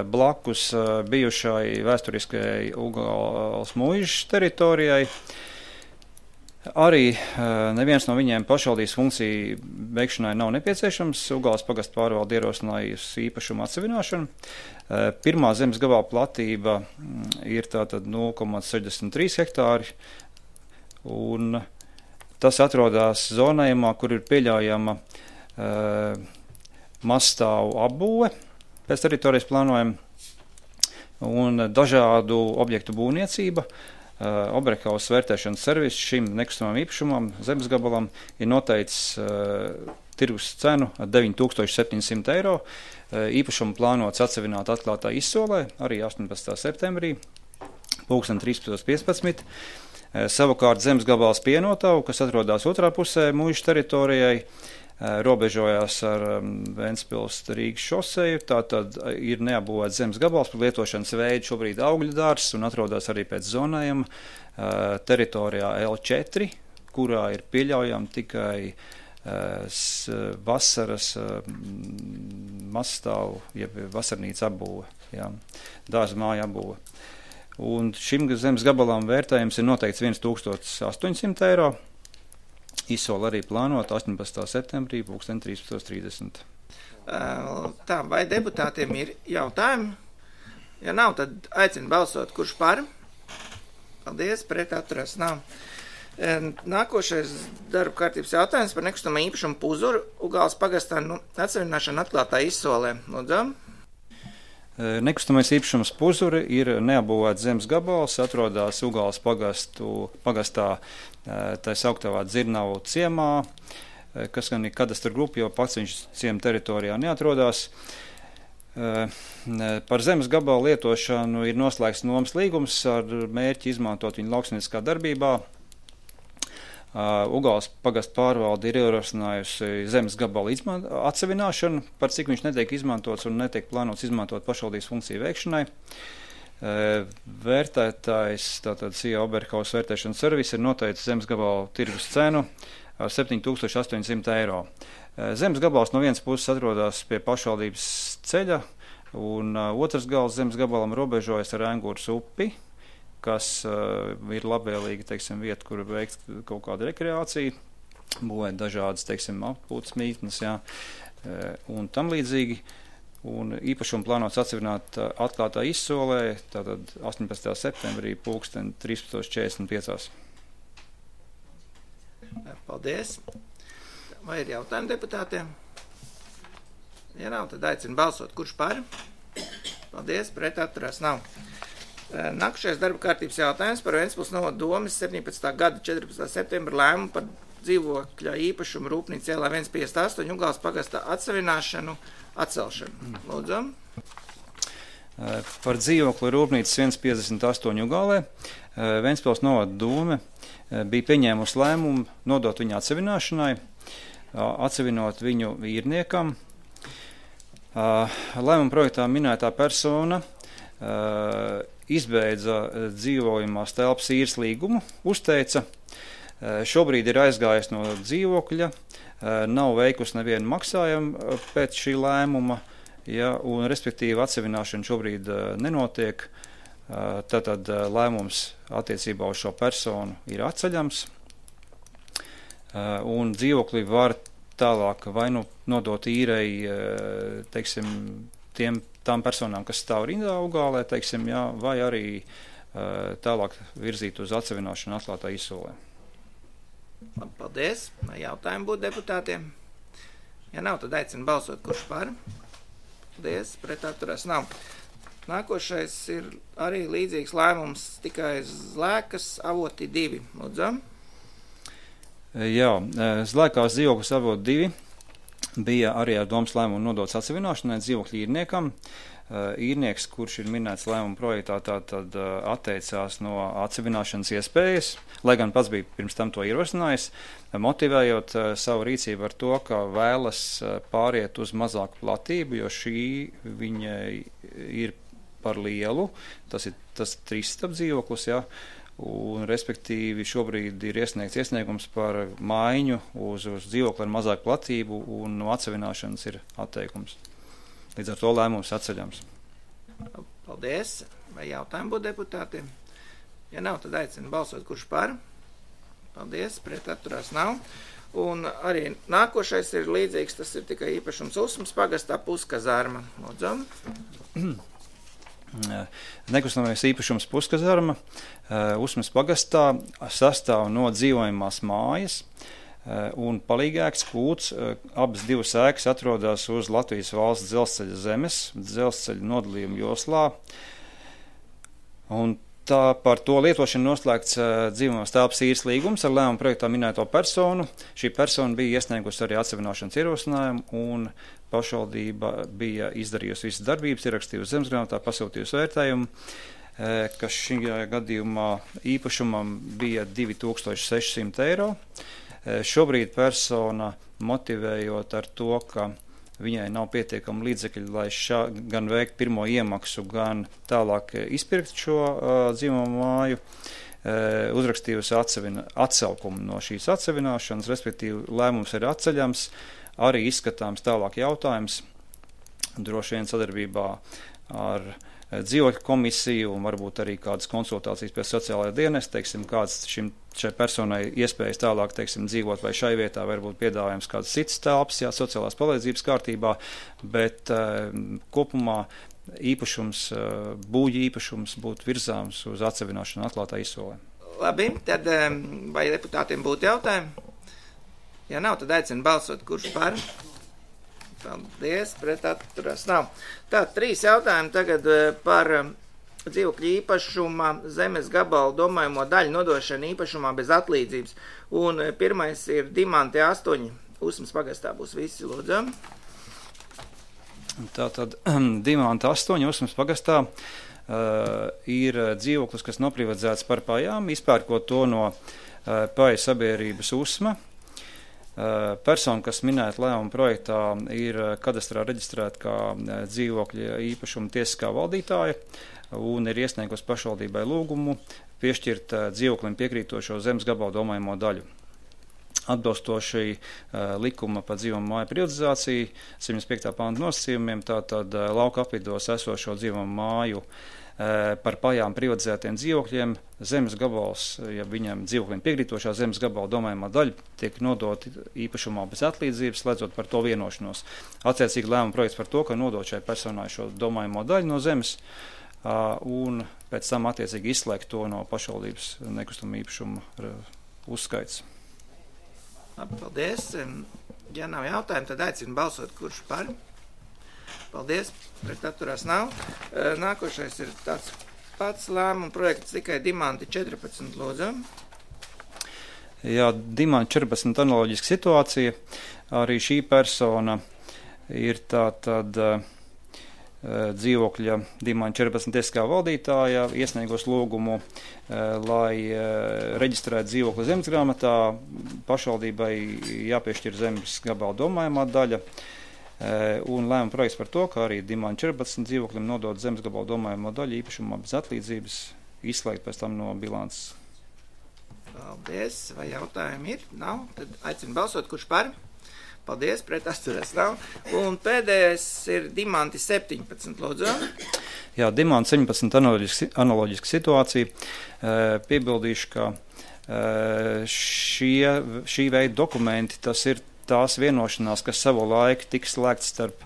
Speaker 9: blakus bijušai vēsturiskajai Ugāles muižas teritorijai. Arī neviens no viņiem pašvaldības funkciju veikšanai nav nepieciešams. Ugāles pagasta pārvalde ierosinājusi īpašumu atsevināšanu. Pirmā zemes gabala platība ir tātad 0,63 hektāri, un tas atrodas zonējumā, kur ir pieļaujama mazstāvu apbūve pēc teritorijas plānojuma un dažādu objektu būvniecība. Oberhaus vērtēšanas servis šim nekustamam īpašumam, zemes gabalam, ir noteicis tirgus cenu 9,700 eiro. Īpašumu plānots atsevināt atklātā izsolē, arī 18. septembrī, 13.15. Savukārt zemes gabals pienotavu, kas atrodas otrā pusē muižas teritorijai, robežojās ar Ventspils Rīgas šoseju, tātad ir neapbūvēts zemes gabals par lietošanas veidu šobrīd augļu dārzs un atrodas arī pēc zonējuma teritorijā L4, kurā ir pieļaujama tikai vasaras mazstāvu, jeb vasarnīca apbūve, dārza māja apbūve. Un šim zemes gabalam vērtējums ir noteikts 1,800 eiro. Izsola arī plānota 18. septembrī, 13.30.
Speaker 1: Tā, vai deputātiem ir jautājumi? Ja nav, tad aicinu balsot, kurš par? Paldies, pret atturās nav. Nākošais darba kārtības jautājums par nekustamā īpašumu Puzuru Ugāles pagastā atsevināšanu atklātā izsolē. Lūdzu.
Speaker 9: Nekustamais īpašums Puzuri ir neapbūvēts zemes gabals, atrodas Ugāles pagastā tā sauktavā Dzirnavu ciemā, kas gan ir kadastra grupa, jo pats viņš ciema teritorijā neatrodās. Par zemes gabalu lietošanu ir noslēgts nomas līgums ar mērķi izmantot viņu lauksaimnieciskā darbībā. Ugāles pagasta pārvalde ir ierosinājusi zemes gabalu atsevināšanu, par cik viņš netiek izmantots un netiek plānots izmantot pašvaldības funkciju veikšanai. Vērtētājs, tātad SIA Oberhaus vērtēšanas servis, ir noteicis zemes gabalu tirgus cenu ar 7,800 eiro. Zemes gabals no vienas puses atrodas pie pašvaldības ceļa, un otrs gals zemes gabalam robežojas ar Engūras upi, kas ir labvēlīga, teiksim, vieta, kur veikt kaut kādu rekreāciju, būvēt dažādas, teiksim, atpūtas mītnes, un tam līdzīgi. Un īpašumu plānots atsevināt atklātā izsolē, tātad 18. septembrī, 13.45.
Speaker 1: Paldies. Vai ir jautājumi deputātiem? Ja nav, tad aicinu balsot, kurš par? Paldies, pret atturās nav. Nākošais darba kārtības jautājums par Ventspils novada domes 17. gada 14. septembra lēmumu par dzīvokļa īpašumu rūpnīca ielā 158 Ugāles pagastā atsevināšanu, atcelšanu. Lūdzu.
Speaker 9: Par dzīvokļa rūpnīcas 158 Ugālē Ventspils novada dome bija pieņēmusi lēmumu nodot viņu atsevināšanai, atsevinot viņu īrniekam. Lēmuma projektā minētā persona izbeidza dzīvojamās telpas īres līgumu, uzteica, šobrīd ir aizgājis no dzīvokļa, nav veikusi nevienu maksājumu pēc šī lēmuma, ja, un respektīvi atsevināšana šobrīd nenotiek, tātad lēmums attiecībā uz šo personu ir atceļams, un dzīvokli var tālāk vai nu nodot īrei, teiksim, tām personām, kas stāv rindā Ugālē, teiksim, jā, vai arī tālāk virzīt uz atsevināšanu atklātā izsolē.
Speaker 1: Labi, paldies. Vai jautājumi būtu deputātiem? Ja nav, tad aicinu balsot, kurš par. Paldies, pret atturās nav. Nākošais ir arī līdzīgs lēmums, tikai Zlēkas Avoti 2. Lūdzam.
Speaker 9: Jā, Zlēkās dzīvoklis Avoti 2 bija arī ar domas lēmumu nodots atsevināšanai dzīvokļu īrniekam. Īrnieks, kurš ir minēts lēmuma projektā, tātad atteicās no atsevināšanas iespējas, lai gan pats bija pirms tam to ierosinājis, motivējot savu rīcību ar to, ka vēlas pāriet uz mazāku platību, jo šī viņai ir par lielu, tas ir tas 3 dzīvoklis, ja, un respektīvi šobrīd ir iesniegums par maiņu uz dzīvokli ar mazāku platību, un no atsevināšanas ir atteikums. Līdz ar to lēmums atceļams.
Speaker 1: Paldies. Vai jautājumi būtu deputātiem? Ja nav, tad aicinu balsot, kurš par. Paldies. Pret atturās nav. Un arī nākošais ir līdzīgs, tas ir tikai īpašums Usmas pagastā Puskazarma. Lūdzam.
Speaker 9: Nekustamais īpašums Puskazarma Usmas pagastā sastāv no dzīvojamās mājas un palīgēks kūts. Abas divas ēkas atrodas uz Latvijas valsts dzelzceļa zemes, dzelzceļa nodalījuma joslā. Un tā par to lietošanu noslēgts dzīvojamās telpas īres līgums ar lēmuma projektā minēto personu. Šī persona bija iesniegusi arī atsevināšanas ierosinājumu, un pašvaldība bija izdarījusi visas darbības, ierakstījusi zemesgrāmatā, pasūtījusi vērtējumu, kas šī gadījumā īpašumam bija 2600 eiro. Šobrīd persona motivējot ar to, ka viņai nav pietiekami līdzekļi, lai gan veikt pirmo iemaksu, gan tālāk izpirkt šo dzīvojamo māju, uzrakstījusi atcelkumu no šīs atsevināšanas, respektīvi lēmums ir atceļams, arī izskatāms tālāk jautājums, droši vien sadarbībā ar dzīvokļu komisiju un varbūt arī kādas konsultācijas pēc sociālajā dienesta, teiksim, kāds šai personai iespējas tālāk, teiksim, dzīvot vai šai vietā, varbūt piedāvājums kādas citas telpas, jā, sociālās palīdzības kārtībā, bet kopumā īpašums, būļu īpašums būtu virzāms uz atsevināšanu atklātā izsolē.
Speaker 1: Labi, tad vai deputātiem būtu jautājumi? Ja nav, tad aicinu balsot, kurš par. Paldies, pret atturās nav. Tā, 3 jautājumi tagad par dzīvokļu īpašuma zemes gabalu domājamo daļu nodošanu īpašumā bez atlīdzības. Un pirmais ir Dimante 8, Usmas pagastā būs visi, lūdzam.
Speaker 9: Tātad Dimante 8, Usmas pagastā ir dzīvoklis, kas noprivatizēts par pajām, izpērkot to no paja sabiedrības Usma. Persona, kas minēta lēmuma projektā, ir kadastrā reģistrēta kā dzīvokļa īpašuma tiesiskā valdītāja un ir iesniegusi pašvaldībai lūgumu piešķirt dzīvoklim piekrītošo zemes gabalu domājamo daļu. Atbilstoši likuma par dzīvojamo māju privatizāciju, 75. panta nosacījumiem, tātad lauka apvidos esošo dzīvojamo māju par pajām privatizētiem dzīvokļiem, zemes gabals, ja viņam dzīvokļiem piekrītošā zemes gabala domājumā daļa tiek nodoti īpašumā bez atlīdzības, slēdzot par to vienošanos. Attiecīgi lēmuma projekts par to, ka nodot šai personai šo domājamo daļu no zemes un pēc tam attiecīgi izslēgt to no pašvaldības nekustamā īpašuma uzskaits.
Speaker 1: Labi, paldies. Ja nav jautājumu, tad aicinu balsot, kurš par. Paldies, pret atturās nav. Nākošais ir tāds pats lēmuma projekts, tikai Dimante 14, lūdzam.
Speaker 9: Jā, Dimante 14 analoģiska situācija. Arī šī persona ir tātad dzīvokļa Dimāņa 14 tiesiskā valdītāja iesniegos lūgumu, lai reģistrētu dzīvokli zemesgrāmatā, pašvaldībai jāpiešķir zemes gabala domājumā daļa, un lēma projekts par to, ka arī Dimāņa 14 dzīvokļiem nodot zemes gabala domājumā daļu īpašumā bez atlīdzības, izslēgt pēc tam no bilances.
Speaker 1: Paldies, vai jautājumi ir? Nav? Tad aicinu balsot, kurš par? Paldies, pret atturēs nav. Un pēdējais ir Dimanti 17, lūdzu.
Speaker 9: Jā, Dimanti 17 analoģiska situācija. Piebildīšu, ka šī veida dokumenti, tas ir tās vienošanās, kas savu laiku tiks slēgts starp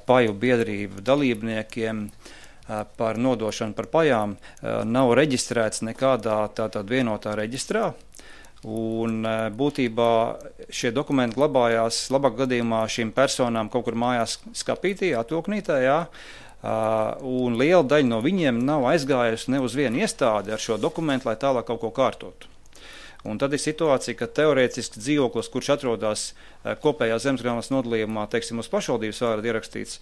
Speaker 9: paju biedrību dalībniekiem par nodošanu par pajām, nav reģistrēts nekādā tātad vienotā reģistrā. Un būtībā šie dokumenti glabājās labāk gadījumā šīm personām kaut kur mājās skapītī, atvilknītē, jā, un liela daļa no viņiem nav aizgājusi ne uz vienu iestādi ar šo dokumentu, lai tālāk kaut ko kārtotu. Un tad ir situācija, ka teorētiski dzīvoklis, kurš atrodas kopējā zemesgrāmatas nodalījumā, teiksim, uz pašvaldības vārdu ierakstīts,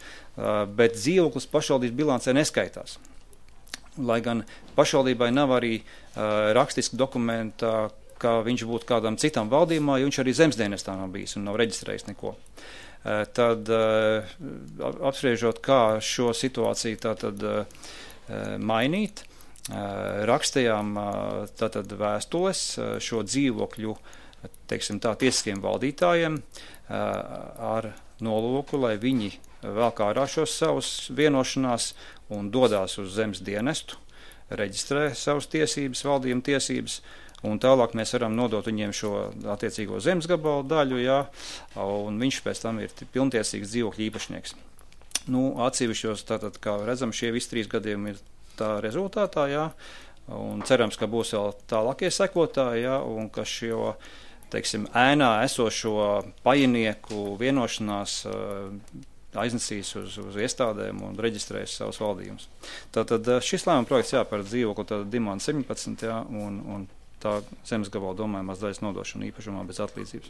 Speaker 9: bet dzīvoklis pašvaldības bilancē neskaitās. Lai gan pašvaldībai nav arī rakstiski dokumenta, ka viņš būtu kādam citam valdījumā, jo viņš arī zemesdienestā nav bijis un nav reģistrējis neko. Tad apspriežot, kā šo situāciju tātad mainīt, rakstījām tātad vēstules šo dzīvokļu, teiksim tā, tiesiskiem valdītājiem ar nolūku, lai viņi velk ārā šos savus vienošanās un dodās uz zemes dienestu, reģistrē savas tiesības, valdījuma tiesības, un tālāk mēs varam nodot viņiem šo attiecīgo zemes gabalu daļu, jā, un viņš pēc tam ir pilntiesīgs dzīvokļu īpašnieks. Nu, atsevišķos, tātad, kā redzam, šie visi 3 gadījumi ir tā rezultātā, jā, un cerams, ka būs vēl tālākie sekotāji, jā, un ka šo, teiksim, ēnā esošo pajinieku vienošanās aiznesīs uz iestādēm un reģistrēs savus valdījumus. Tātad šis lēmuma projekts, jā, par dzīvokli, tātad Dimāna 17, jā, un tā zemes gabala domājumās daļas nodošana īpašumā bez atlīdzības.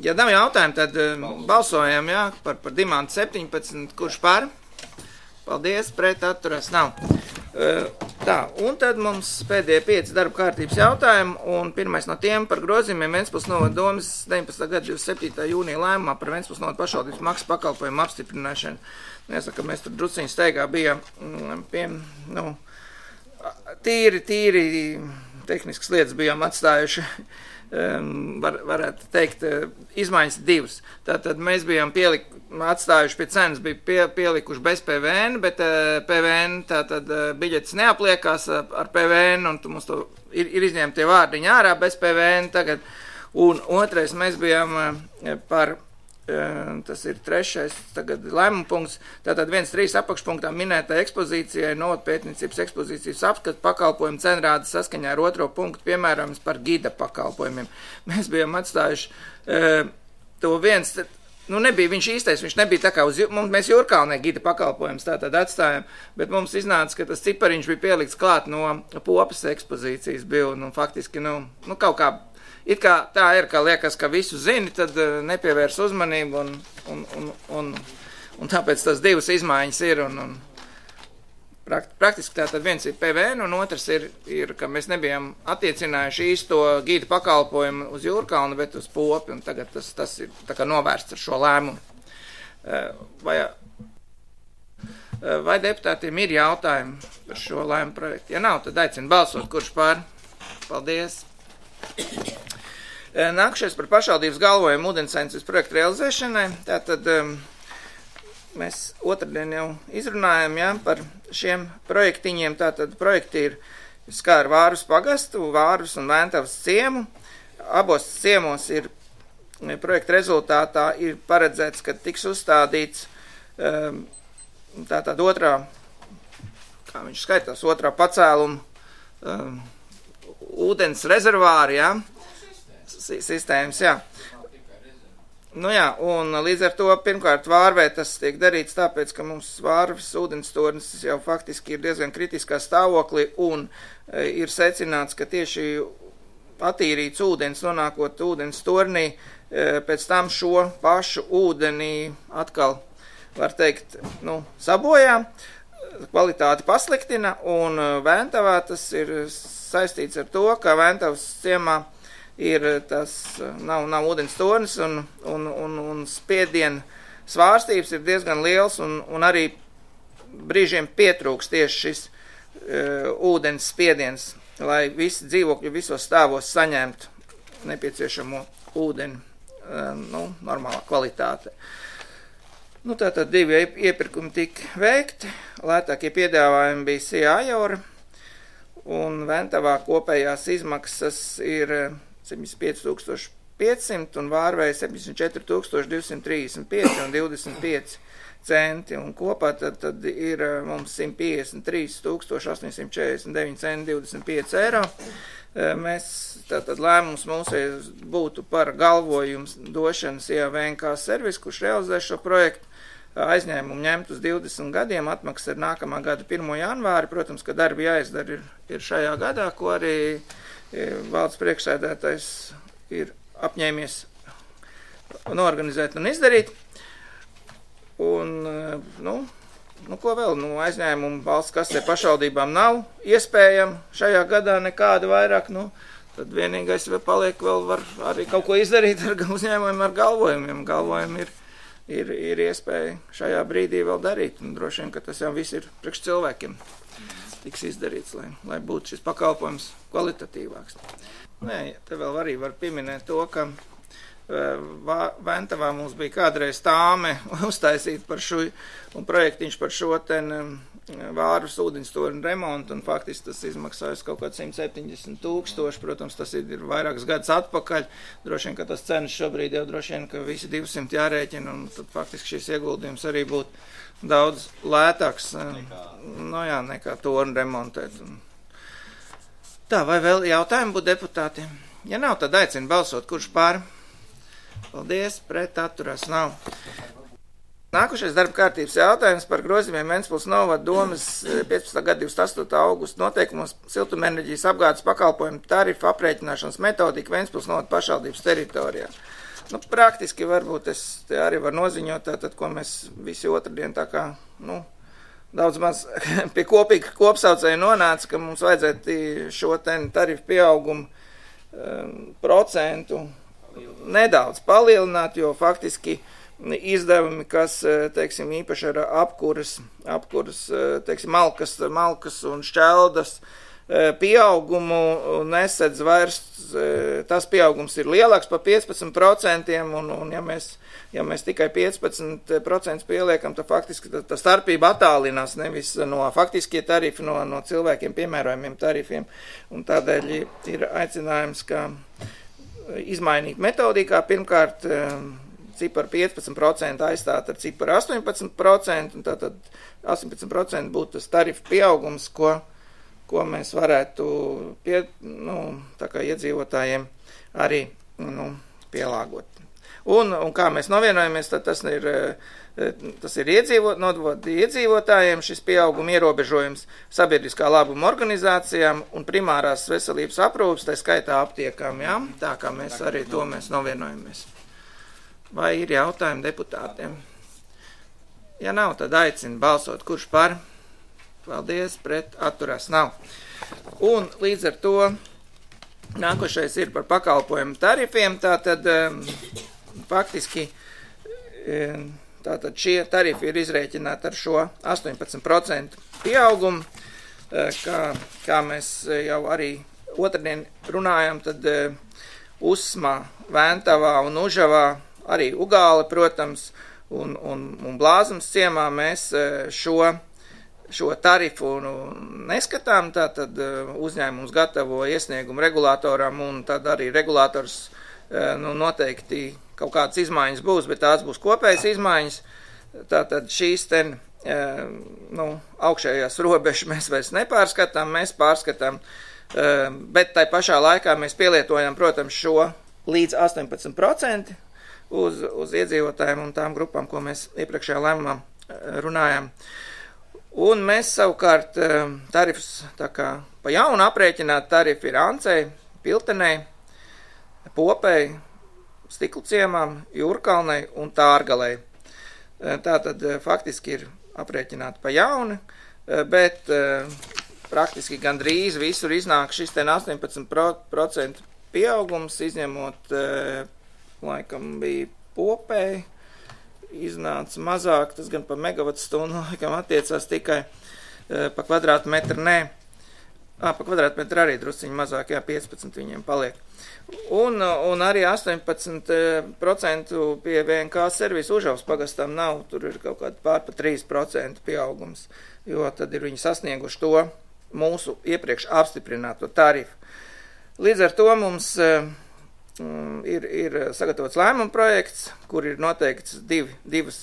Speaker 1: Ja nav jautājumu, tad balsojam, jā, par Dimantu 17, kurš par? Paldies, pret atturēs nav. Tā, un tad mums pēdējie 5 darba kārtības jautājumi, un pirmais no tiem par grozījumiem Ventspils novada domas 19. gada 27. jūnija lēmumā par Ventspils novada pašvaldības maksas pakalpojumu apstiprināšanu. Jāsaka, mēs tur druciņu steigā bijām tīri tehniskas lietas bijām atstājuši, varētu teikt, izmaiņas 2. Tātad mēs bijām atstājuši pie cenas, bija pielikuši bez PVN, bet PVN tātad biļetes neapliekās ar PVN, un mums to ir izņemti tie vārdiņi ārā bez PVN tagad. Un otrais mēs bijām par, tas ir 3. tagad lēmuma punkts, tātad 1.3 apakšpunktā minētā ekspozīcijai novadpētniecības ekspozīcijas apskatu pakalpojumu cenrādes saskaņā ar 2. punktu, piemēram, par gida pakalpojumiem. Mēs bijām atstājuši to viens, nebija viņš īstais, viņš nebija tā kā mēs Jūrkalnē gida pakalpojums tātad atstājām, bet mums iznāca, ka tas cipariņš bija pielikts klāt no Popas ekspozīcijas bija, un faktiski, kaut kā, it kā tā ir, ka liekas, ka visu zini, tad nepievērs uzmanību, un tāpēc tas 2 izmaiņas ir, un praktiski tātad viens ir PVN, un otrs ir, ka mēs nebijām attiecinājuši īsto gīda pakalpojumu uz Jūrkalnu, bet uz Popi, un tagad tas ir tā kā novērsts ar šo lēmumu. Vai deputātiem ir jautājumi par šo lēmumu projektu? Ja nav, tad aicinu balsot, kurš pār. Paldies. Nākušies par pašvaldības galvojumu ūdensainicības projektu realizēšanai. Tātad mēs otrdien jau izrunājam, jā, par šiem projektiņiem. Tātad projekti ir skāra Vārvas pagastu, Vārvas un Vēntavas ciemu. Abos ciemos ir projekta rezultātā ir paredzēts, ka tiks uzstādīts tātad otrā, kā viņš skaitās, otrā pacēluma ūdens rezervāri, jā. Sistēmas, jā. Un līdz ar to pirmkārt Vārvē tas tiek darīts tāpēc, ka mums Vārvas ūdenstornis jau faktiski ir diezgan kritiskā stāvoklī un ir secināts, ka tieši attīrīts ūdens, nonākot ūdens tornī, pēc tam šo pašu ūdenī atkal var teikt, sabojā, kvalitāti pasliktina, un Ventavā tas ir saistīts ar to, ka Ventavas ciemā ir tas, nav ūdens tornis, un spiediena svārstības ir diezgan liels, un arī brīžiem pietrūks tieši šis ūdens spiediens, lai visi dzīvokļi visos stāvos saņemtu nepieciešamo ūdeni, normālā kvalitāte. Tātad 2 iepirkumi tika veikti, lētākie piedāvājumi bija Sijā Ajora, un Ventavā kopējās izmaksas ir 75,500 un Vārvei 74,235 un 25 centi, un kopā tad ir mums 153,849 centi 25 eiro. Mēs, tātad lēmums mūsējos būtu par galvojums došanas VNK servis, kurš realizē šo projektu, aizņēmumu ņemt uz 20 gadiem, atmaksas ir nākamā gada 1. janvāri, protams, ka darbi jāizdara ir šajā gadā, ko arī valdes priekšsēdētājs ir apņēmies norganizēt un izdarīt. Un, ko vēl? Aizņēmumu valsts kasē pašvaldībām nav iespējama šajā gadā nekāda vairāk, tad vienīgais paliek vēl var arī kaut ko izdarīt ar uzņēmumiem, ar galvojumiem. Galvojumi ir iespēja šajā brīdī vēl darīt, un droši vien, ka tas jau viss ir priekš cilvēkiem tiks izdarīts, lai būtu šis pakalpojums kvalitatīvāks. Te vēl arī var pieminēt to, ka Ventavā mums bija kādreiz tāme uztaisīt par šo, un projektiņš par šo Vārvas ūdenstorņu remontu, un faktiski tas izmaksājas kaut kāds 170,000, protams, tas ir vairākas gadus atpakaļ, droši vien, ka tas cenas šobrīd jau droši vien, ka visi 200 jārēķina, un tad faktiski šis ieguldījums arī būtu daudz lētāks, nekā torņu remontēt. Tā, vai vēl jautājumi būtu deputātiem? Ja nav, tad aicinu balsot, kurš pār? Paldies, pret atturās nav. Nākošais darba kārtības jautājums par grozījumiem Ventspils novada domas 15. gada 28. augusta noteikumos siltumenerģijas apgādes pakalpojumu tarifu aprēķināšanas metodika Ventspils novada pašvaldības teritorijā. Praktiski varbūt es te arī varu noziņot, tātad, ko mēs visi otrdien tā kā, daudz maz pie kopīga kopsaucēja nonāca, ka mums vajadzētu šo tarifu pieaugumu procentu nedaudz palielināt, jo faktiski izdevumi, kas, teiksim, īpaši ar apkuras, teiksim, malkas un šķeldas pieaugumu nesedz vairs, tas pieaugums ir lielāks par 15%, un ja mēs tikai 15% pieliekam, tad faktiski tā starpība attālinās nevis no faktiskie tarifi, no cilvēkiem piemērojumiem tarifiem, un tādēļ ir aicinājums, ka izmainīt metodikā, pirmkārt, ciparu 15% aizstāt ar ciparu 18%, un tātad 18% būtu tas tarifu pieaugums, ko mēs varētu tā kā iedzīvotājiem arī pielāgot. Un kā mēs novienojamies, tad tas ir iedzīvotājiem šis pieauguma ierobežojums, sabiedriskā labuma organizācijām un primārās veselības aprūpes, tā skaitā aptiekām, jā? Tā kā mēs arī to mēs novienojamies. Vai ir jautājumi deputātiem? Ja nav, tad aicinu balsot, kurš par? Paldies, pret atturās nav. Un līdz ar to nākošais ir par pakalpojumu tarifiem, tātad faktiski tātad šie tarifi ir izrēķināti ar šo 18% pieaugumu, kā mēs jau arī otrdien runājam, tad Usmā, Ventavā un Užavā, arī Ugāle, protams, un Blāzums ciemā mēs šo tarifu neskatām, tātad uzņēmums gatavo iesniegumu regulātoram, un tad arī regulātors noteikti kaut kādas izmaiņas būs, bet tās būs kopējas izmaiņas, tātad šīs augšējās robežas mēs vairs nepārskatām, mēs pārskatām, bet tai pašā laikā mēs pielietojam, protams, šo līdz 18% uz iedzīvotājiem un tām grupām, ko mēs iepriekšējā lēmumā runājām. Un mēs savukārt tarifus tā kā pa jaunu aprēķināt tarifi ir Ancei, Piltenei, Popei, Stiklu ciemām, Jūrkalnei un Tārgalei. Tā tad faktiski ir aprēķināti pa jauni, bet praktiski gandrīz visur iznāk šis 18% pieaugums, izņemot, laikam bija Popēji, iznāca mazāk, tas gan pa megavatu stundu, laikam attiecās tikai pa kvadrātmetru, pa kvadrātmetru arī drusciņi mazāk, 15 viņiem paliek. Un arī 18% pie VNK servisu Užavas pagastam nav, tur ir kaut kāda pār pa 3% pieaugums, jo tad ir viņi sasnieguši to mūsu iepriekš apstiprināto tarifu. Līdz ar to mums ir sagatavots lēmuma projekts, kur ir noteikts divas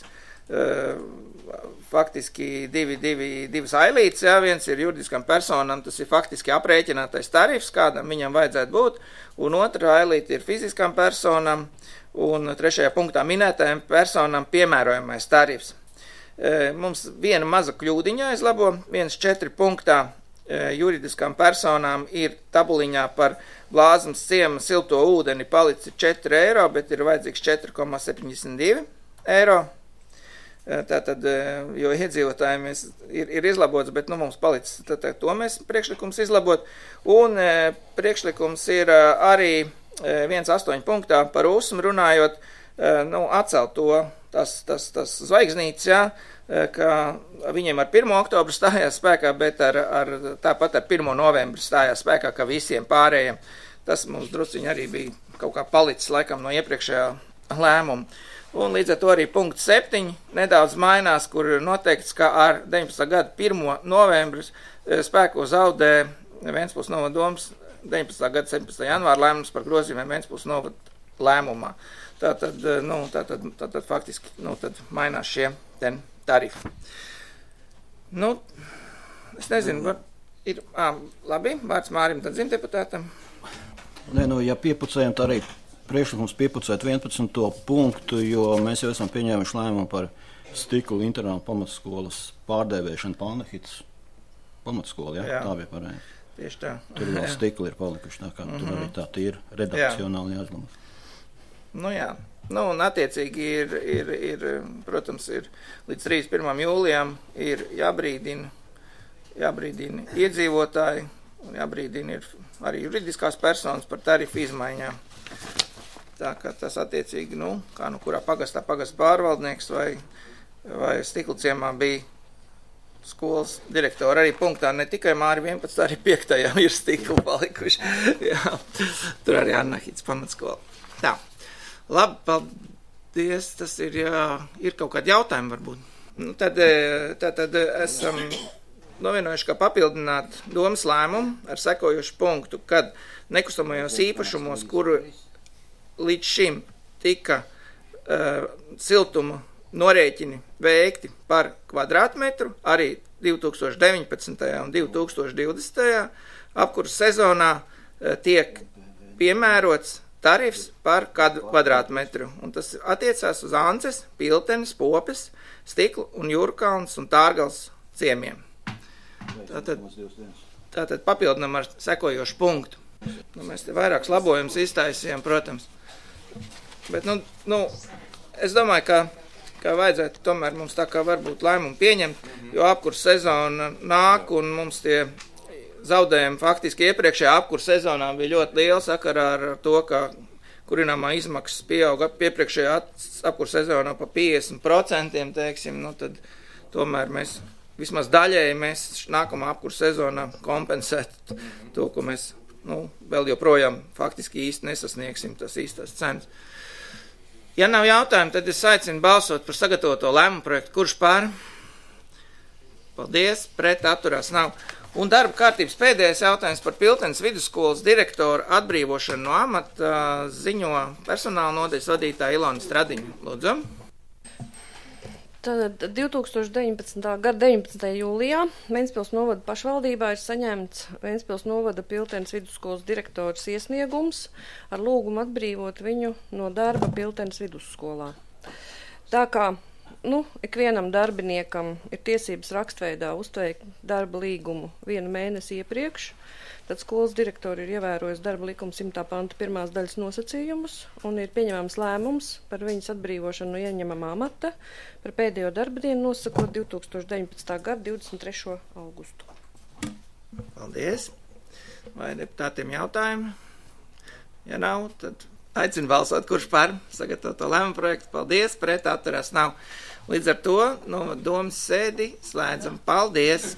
Speaker 1: ailītes, viens ir juridiskam personam, tas ir faktiski aprēķinātais tarifs, kādam viņam vajadzētu būt, un otra ailīte ir fiziskam personam, un trešajā punktā minētajam personam piemērojamais tarifs. Mums viena maza kļūdiņa aizlabo, 1.4 punktā juridiskām personām ir tabuliņā par Blāzmas ciema silto ūdeni palicis 4 eiro, bet ir vajadzīgs 4,72 eiro. Tātad, jo iedzīvotājiem ir izlabots, bet mums palicis, to mēs priekšlikums izlabot. Un priekšlikums ir arī 1.8 punktā par USM runājot, atcelt to, tas zvaigznītes, ka viņiem ar 1. oktobru stājās spēkā, bet tāpat ar 1. novembru stājās spēkā, ka visiem pārējiem. Tas mums drusciņi arī bija kaut kā palicis laikam no iepriekšējā lēmuma. Un līdz ar to arī punkts 7 nedaudz mainās, kur ir noteikts, ka ar 19. gada 1. novembris spēko zaudē Ventspils novada domas 19. gada 17. janvāra lēmums par grozījumiem Ventspils novada lēmumā. Tātad faktiski tad mainās šie tarifi. Es nezinu, ir labi, vārds Mārim, tad zimdeputātam.
Speaker 10: Ja piepucējam, tā arī priekšlikums piepucēt 11. punktu, jo mēs jau esam pieņēmuši lēmumu par Stiklu internatu pamatskolas pārdēvēšanu Palnehits pamatskola, tā bija pareizi.
Speaker 1: Tieši tā.
Speaker 10: Tur vēl Stikli ir palikuši, tā kā tur arī tā ir redakcionāli jāizlama.
Speaker 1: Un attiecīgi ir, protams, ir līdz 31. jūlijam ir jābrīdina iedzīvotāji, un jābrīdina ir arī juridiskās personas par tarifu izmaiņām. Tā kā tas attiecīgi, kā kurā pagastā pagasta pārvaldnieks vai Stiklu ciemā bija skolas direktori. Arī punktā ne tikai Māri 11, arī 5. ir Stiklu palikuši. Jā, tur arī Annahīts pamatskola. Tā. Labi, paldies. Tas ir kaut kādi jautājumi varbūt. Tad esam novienojuši, ka papildināt domas lēmumu ar sekojošu punktu, kad nekustamajos īpašumos, kuru līdz šim tika siltuma norēķini veikti par kvadrātmetru, arī 2019. un 2020. apkurses sezonā tiek piemērots tarifs par kvadrātmetru. Un tas attiecās uz Ances, Piltenes, Popes, Stiklu un Jūrkalns un Tārgals ciemiem. Tātad papildinam ar sekojošu punktu. Mēs te vairākus labojumus iztaisījām, protams. Bet, es domāju, ka vajadzētu tomēr mums tā kā varbūt lēmumu pieņemt, jo apkurses sezona nāk un mums tie zaudējumi faktiski iepriekšējā apkurses sezonā bija ļoti liela sakarā ar to, ka kurināmā izmaksas pieauga iepriekšējā apkurses sezonā pa 50%, teiksim, tad tomēr mēs vismaz daļēji mēs nākamā apkurses sezonā kompensētu to, ko mēs vēl joprojām faktiski īsti nesasniegsim tas īstās cenas. Ja nav jautājumu, tad es aicinu balsot par sagatavoto lēmumu projektu. Kurš pār? Paldies, pret atturās nav. Un darba kārtības pēdējais jautājums par Piltenes vidusskolas direktoru atbrīvošanu no amata ziņo personāla nodaļas vadītāja Ilona Stradiņa. Lūdzu.
Speaker 5: Tad 2019. gada 19. jūlijā Ventspils novada pašvaldībā ir saņemts Ventspils novada Piltenes vidusskolas direktors iesniegums ar lūgumu atbrīvot viņu no darba Piltenes vidusskolā. Tā kā ikvienam darbiniekam ir tiesības rakstveidā uzteikt darba līgumu 1 mēnesi iepriekš. Tad skolas direktori ir ievērojusi darba likuma 100. panta 1. daļas nosacījumus un ir pieņemams lēmums par viņas atbrīvošanu no ieņemamā amata par pēdējo darba dienu nosakot 2019. gada 23. augustu.
Speaker 1: Paldies. Vai deputātiem jautājumi? Ja nav, tad aicinu balsot, kurš par sagatavoto lēmumu projektu. Paldies, pret atturās nav. Līdz ar to no domas sēdi slēdzam. Paldies!